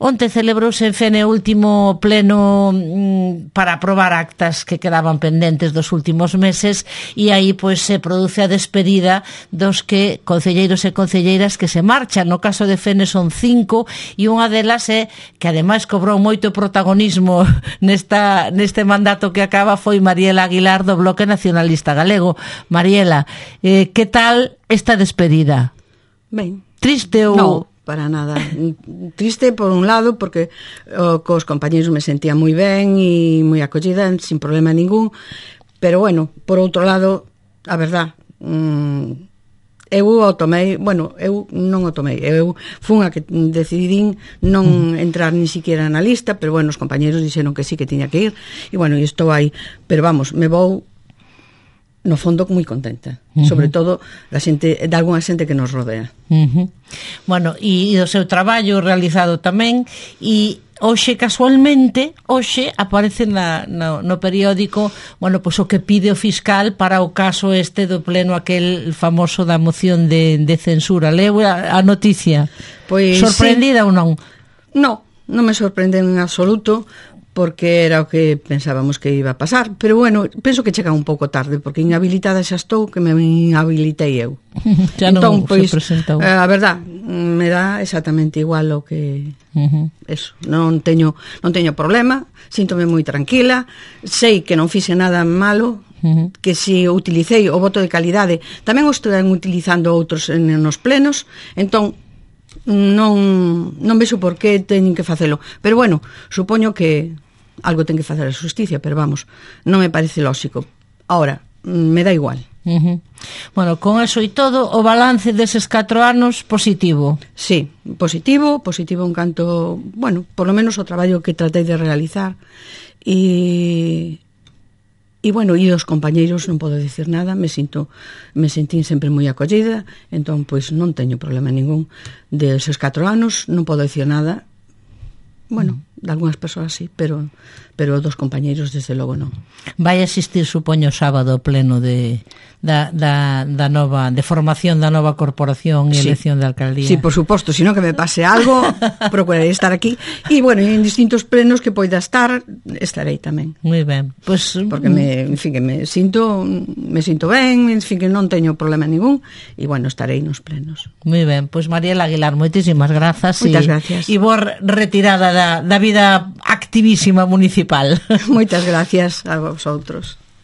Onte celebrouse en Fene o último pleno para aprobar actas que quedaban pendentes dos últimos meses e aí pois se produce a despedida dos que concelleiros e concelleiras que se marchan. No caso de Fene son 5 e unha delas é que ademais cobrou moito protagonismo neste mandato que acaba foi Mariela Aguilar do Bloque Nacionalista Galego. Mariela, que tal esta despedida? Ben. Triste ou... No, para nada. Triste por un lado porque cos compañeros me sentía moi ben e moi acollida sin problema ningún, pero bueno, por outro lado, a verdad, eu o tomei, bueno, eu non o tomei, eu fun a que decidín non entrar ni siquiera na lista, pero bueno, os compañeros dixeron que sí que tiña que ir, e bueno, e estou aí, pero vamos, me vou no fondo moi contenta, sobre todo da xente, de algunha xente que nos rodea. Bueno, e o seu traballo realizado tamén, e hoxe casualmente aparece no periódico, bueno, pois o que pide o fiscal para o caso este do pleno aquel famoso da moción de censura. Leu a noticia? Pois sorprendida ou non? Non me sorprende en absoluto, porque era o que pensábamos que iba a pasar, pero bueno, penso que chega un pouco tarde, porque inhabilitada xa estou, que me inhabilitei eu. Já non se presentou. A verdad, me dá exactamente igual o que eso, non teño problema, síntome moi tranquila, sei que non fixe nada malo, que si utilicei o voto de calidade, tamén o están utilizando outros nos plenos, entón non vexo por que teñen que facelo, pero bueno, supoño que algo ten que facer a xusticia, pero vamos, non me parece lóxico. Ahora, me dá igual. Bueno, con eso e todo, o balance deses 4 anos positivo. Sí, positivo en canto, bueno, por lo menos o traballo que tratei de realizar e bueno, e os compañeiros non podo dicir nada, me sentín sempre moi acollida, entón pois non teño problema ningún deses 4 anos, non podo dicir nada. Bueno, de algunhas persoas sí, pero dos compañeiros desde logo non. Vai asistir, supoño, o sábado o pleno da nova, de formación da nova corporación e elección de alcaldía. Sí, por suposto, sino que me pase algo, procurarei estar aquí. E, bueno, en distintos plenos que poida estar, estarei tamén. Moi ben. Pues, porque en fin, que me sinto ben, en fin, que non teño problema ningún, e, bueno, estarei nos plenos. Moi ben. Pois, Mariela Aguilar, moitísimas grazas. Moitas gracias. E boa retirada da vida activísima municipal. Moitas gracias a vosotros.